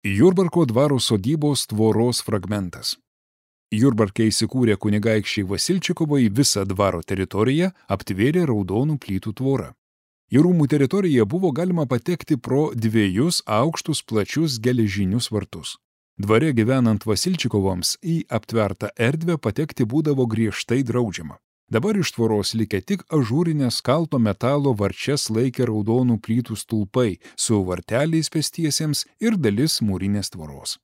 Jurbarko dvaro sodybos tvoros fragmentas. Jurbarke įsikūrę kunigaikščiai Vasilčikovai visą dvaro teritoriją aptvėrė raudonų plytų tvorą. Į rūmų teritoriją buvo galima patekti pro 2 aukštus plačius geležinius vartus. Dvare gyvenant Vasilčikovams į aptvertą erdvę patekti būdavo griežtai draudžiama. Dabar iš tvoros likę tik ažūrinės kalto metalo varčias laikė raudonų plytų stulpai su varteliais pėstiesiems ir dalis mūrinės tvoros.